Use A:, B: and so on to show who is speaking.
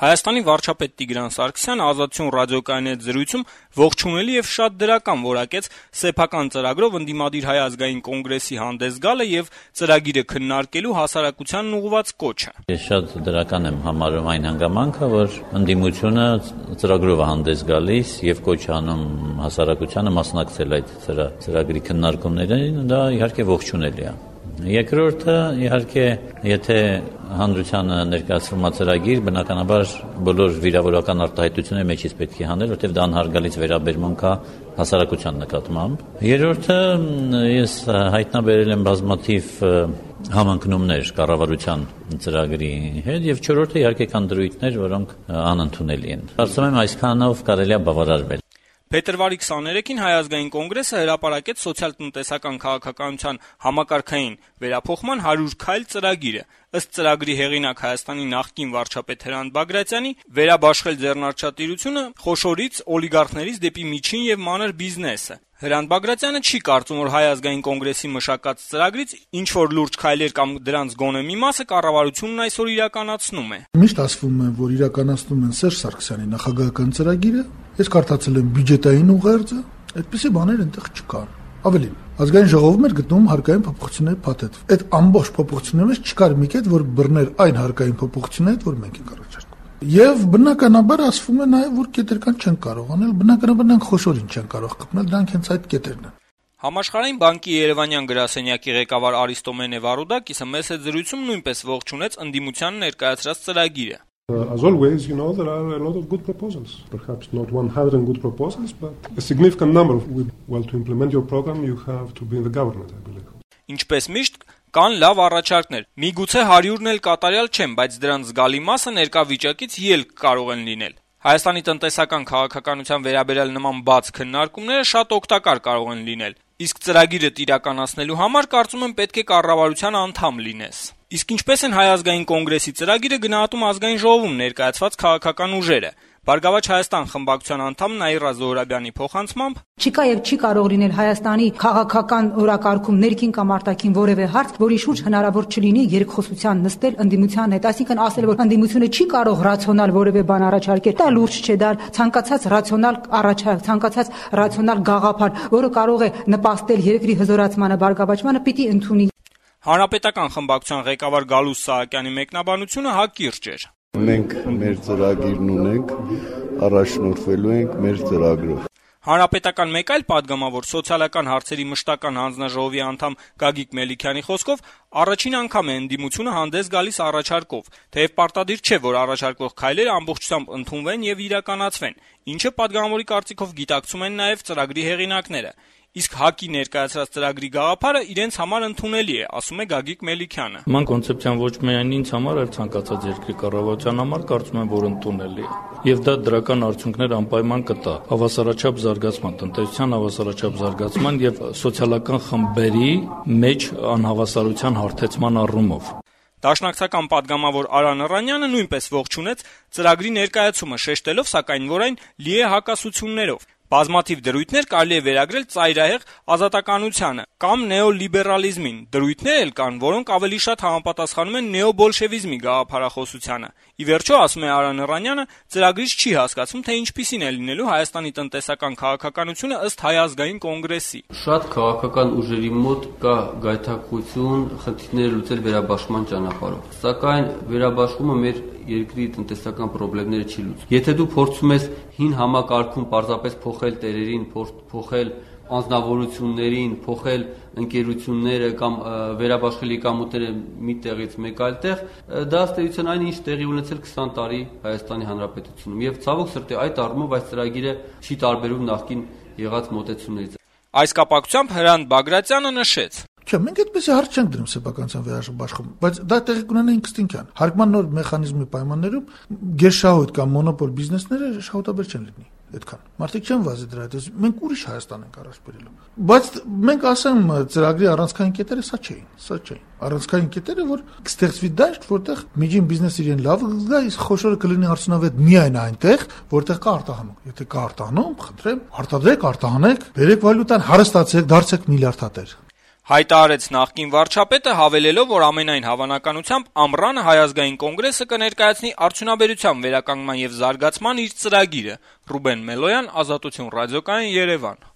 A: Հայաստանի վարչապետ Տիգրան Սարգսյանը Ազատություն ռադիոկայանի հետ զրույցում ողջունելի եւ շատ դրական որակեց սեփական ծրագրով ընդդիմադիր Հայ ազգային կոնգրեսի հանդես գալը եւ ծրագիրը քննարկելու հասարակությանն ուղղված կոչը։
B: Ես շատ դրական եմ համարում այն հանգամանքը, որ ընդդիմությունը ծրագրով է հանդես գալիս եւ կոչ անում հասարակությանը մասնակցել այդ ծրագրի քննարկումներին, դա իհարկե ողջունելի է։ Երկրորդը, իհարկե, եթե հանրությանը ներկայացվում է ծրագիր, բնականաբար բոլոր վիրավորական արտահայտությունների մեջից պետք է հանել, որտեղ դա անհարգալից վերաբերմունք է հասարակության նկատմամբ։ Երրորդը, ես հայտնաբերել եմ բազմաթիվ համընկնումներ կառավարության ծրագրի հետ եւ չորրորդը իհարկե կան դրույթներ, որոնք անընդունելի են։ Կարծում եմ այսքանով կարելի է բավարարվել։
A: Փետրվարի 23-ին Հայ ազգային կոնգրեսը հրապարակեց սոցիալ-տնտեսական քաղաքականության համակարգային վերափոխման 100 քայլ ծրագիրը։ Ըստ ծրագրի հեղինակ Հայաստանի նախկին վարչապետ Հրանտ Բագրատյանի, վերաբաշխել ձեռնարկատիրությունը խոշորից օլիգարխներից դեպի միջին եւ մանր բիզնեսը։ Հրանտ Բագրատյանը չի կարծում, որ Հայ ազգային կոնգրեսի մշակած ծրագրից ինչ որ լուրջ քայլեր կամ դրանց գոնե մի մասը կառավարությունն այսօր իրականացնում է։
C: Միշտ ասվում է, որ իրականացնում են Սերժ Սարգսյանի նախագահական ծրագիրը, ես կարդացել եմ բյուջետային ուղերձը, այդպիսի բաներ այնտեղ չկան։ Ավելին, ազգային ժողովում էր գտնում հարկային փոփոխությունների փաթեթ։ Այդ ամբողջ փոփոխություններից չկար մի կետ, որ բռներ այն հարկային փոփոխություններից, որ մենք ենք առաջարկում։ Եվ բնականաբար ասվում է նաև, որ կետեր չեն կարող անել, բնականաբար նրանք խոշորին չեն կարող խփնել, դրանք հենց այդ կետերն են։
A: Համաշխարհային բանկի Երևանյան գրասենյակի ղեկավար Արիստոմենե Վարուդակիսը մեծ զրույցում նույնպես ողջունեց ընդդիմության ներկայացրած ծրագիրը։
D: As always, there are a lot of good proposals. Perhaps not 100 good proposals, but a significant number. Well, to implement your program, you have to be in the government, I believe.
A: Ինչպես միշտ, կան լավ առաջարկներ։ Միգուցե 100-ն էլ կատարյալ չեն, բայց դրանց զգալի մասը ներկա վիճակից ելք կարող են լինել։ Հայաստանի տնտեսական քաղաքականության վերաբերյալ նման բաց քննարկումները շատ օգտակար կարող են լինել։ Իսկ ծրագիրը իրականացնելու համար կարծում եմ պետք է կառավարության անդամ լինես։ Իսկ ինչպես են Հայ ազգային կոնգրեսի ծրագիրը գնահատում ազգային ժողովում ներկայացված քաղաքական ուժերը։ Բարգավաճ Հայաստան խմբակցության անդամ Նաիրա Զոհրաբյանի փոխանցմամբ
E: չկա եւ չի կարող լինել Հայաստանի քաղաքական օրակարգում ներքին կամ արտաքին որևէ հարց, որի շուրջ հնարավոր չլինի երկխոսության նստել ընդդիմության հետ, այսինքն ասել, որ ընդդիմությունը չի կարող ռացիոնալ որևէ բան առաջարկել, դա լուրջ չէ, դա ցանկացած ռացիոնալ առաջարկ, ցանկացած ռացիոնալ գաղափար, որը կարող է նպաստել երկրի հզորացմանը, բարգավաճմանը, պիտի ընդունի։
A: Հանրապետական խմբակցության ղեկավար Գալուս Սահակյանի մեկնաբանությունը հակիրճ էր։
F: Մենք մեր ծրագիրն ունենք, առաջնորդվելու ենք մեր ծրագրով։
A: Հանրապետական մեկ այլ падգամավոր սոցիալական հարցերի մշտական հանձնաժողովի անդամ Գագիկ Մելիքյանի խոսքով առաջին անգամ է ընդդիմությունը հանդես գալիս առաջարկով, թեև պարտադիր չէ, որ առաջարկվող քայլերը ամբողջությամբ ընդունվեն եւ իրականացվեն, ինչը падգամավորի կարծիքով գիտակցում են նաեւ ծրագրի հեղինակները։ Իսկ ՀԱԿ-ի ներկայացրած ծրագրի գաղափարը իրենց համար ընդունելի է, ասում է Գագիկ Մելիքյանը։
G: Ման կոնցեպցիան ոչ միայն ինձ համար, այլ ցանկացած երկրի կառավարության համար կարծում եմ, որ ընդունելի է։ Եվ դա դրական արդյունքներ անպայման կտա հավասարաչափ զարգացման, տնտեսության հավասարաչափ զարգացման եւ սոցիալական խմբերի մեջ անհավասարության հարթեցման առումով։
A: Դաշնակցական падգամավոր Արա Նռանյանը նույնպես ողջունեց ծրագրի ներկայացումը, շեշտելով սակայն, որ այն լի է հակասություններով։ Բազմաթիվ դրույթներ կարելի է վերագրել ծայրահեղ ազատականությանը կամ նեոլիբերալիզմին։ Դրույթներ էլ կան, որոնք ավելի շատ համապատասխանում են նեոբոլշևիզմի գաղափարախոսությանը։ Ի վերջո, ասում է Արա Նռանյանը, ծրագրից չի հասկացում, թե ինչպիսին է լինելու Հայաստանի տնտեսական քաղաքականությունը ըստ Հայ ազգային կոնգրեսի։
H: Շատ քաղաքական ուժերի մոտ կա գայթակղություն խնդիրները լուծել վերաբաշխման ճանապարհով։ Սակայն վերաբաշխումը մեր երկրի տնտեսական խնդիրները չի լուծում։ Եթե դու փորձում ես հին համակարգում պարզապես փոխել տերերին, փոխել անձնավորություններին, փոխել ընկերությունները կամ վերաբաշխել եկամուտները մի տեղից մեկ այլ տեղ, դա ըստ էության այն ինչ տեղի ունեցել 20 տարի Հայաստանի Հանրապետությունում։ Եվ ցավոք սրտի այդ առումով այս ծրագիրը չի տարբերվում նախկին եղած մոտեցումներից։
A: Այս կապակցությամբ Հրանտ Բագրատյանը նշեց.
C: Չէ, մենք այդպեսի հարց չենք դնում սեփականության վերաբաշխում, բայց դա տեղի կունենա ինստինկտիվ։ Հարկման նոր մեխանիզմի պայմաններում գերշահույթ կամ մոնոպոլ բիզնեսները շահութաբեր չեն լինի։ Այդքան։ Մարդիկ չեն վազի դրա հետ, մենք ուրիշ Հայաստան ենք առաջ բերելու։ Բայց մենք ասեմ ծրագրի առանցքային կետերը սա չէին։ Առանցքային կետերը, որ կստեղծվի դաշտ, որտեղ միջին բիզնեսը իրեն լավ կգա, իսկ խոշորը կլինի արդյունավետ միայն այնտեղ, որտեղ կա արտահանում։ Եթե կա արտահանում, խնդրեմ, արտադրեք, արտահանեք, բերեք վալյուտան, հարստացեք, դարձեք միլիարդատեր։
A: Հայտարարեց նախկին վարչապետը, հավելելով, որ ամենայն հավանականությամբ ամռանը Հայ ազգային կոնգրեսը կներկայացնի արդյունաբերության վերականգնման եւ զարգացման իր ծրագիրը։ Ռուբեն Մելոյան, Ազատություն ռադիոկայան, Երևան։